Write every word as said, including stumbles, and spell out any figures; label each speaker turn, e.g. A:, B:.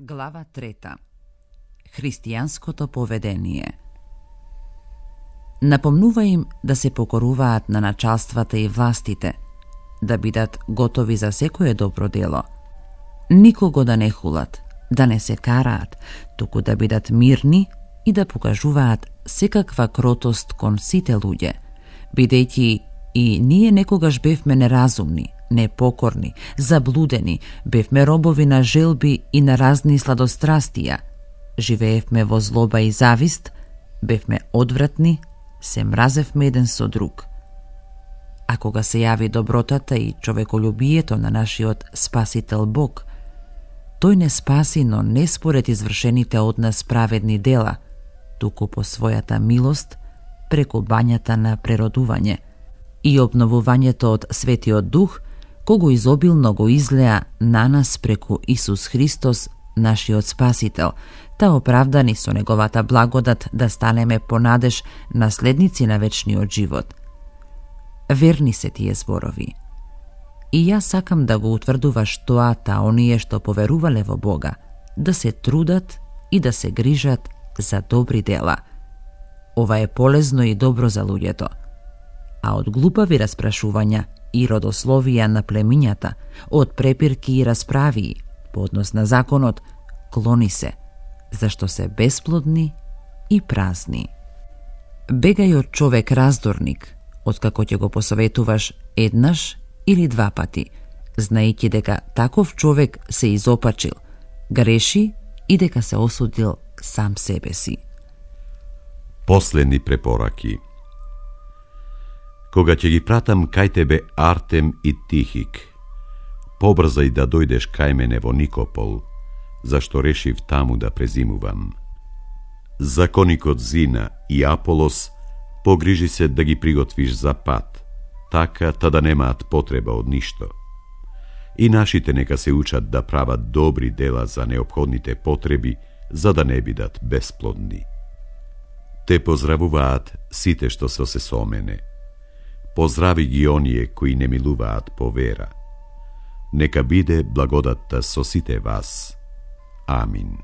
A: Глава трета. Христијанското поведение. Напомнува им да се покоруваат на началствата и властите, да бидат готови за секое добро дело, никого да не хулат, да не се караат, туку да бидат мирни и да покажуваат секаква кротост кон сите луѓе, бидејќи и ние некогаш бевме неразумни, непокорни, заблудени, бевме робови на желби и на разни сладострастија, живеевме во злоба и завист, бевме одвратни, се мразевме еден со друг. А кога се јави добротата и човеколюбието на нашиот Спасител Бог, тој не спаси, но не според извршените од нас праведни дела, туку по својата милост, преку бањата на преродување и обновувањето од Светиот Дух, кого изобилно го излеа на нас преку Исус Христос, нашиот Спасител, та оправдани со неговата благодат да станеме по надеж наследници на вечниот живот. Верни се тие зборови. И јас сакам да го утврдуваш тоа та оние што поверувале во Бога, да се трудат и да се грижат за добри дела. Ова е полезно и добро за луѓето. А од глупави распрашувања и родословија на племињата, од препирки и расправии по однос на законот, клони се, зашто се бесплодни и празни. Бегај од човек раздорник, откако ќе го посоветуваш еднаш или два пати, знаејќи дека таков човек се изопачил, греши и дека се осудил сам себе си.
B: Последни препораки. Кога ќе ги пратам кај тебе Артем и Тихик, побрзај да дојдеш кај мене во Никопол, зашто решив таму да презимувам. Законикот Зина и Аполос погрижи се да ги приготвиш за пат, така та да немаат потреба од ништо. И нашите нека се учат да прават добри дела за неопходните потреби, за да не бидат бесплодни. Те поздравуваат сите што се со мене. Поздрави ги оние кои не милуваат по вера. Нека биде благодатта со сите вас. Амин.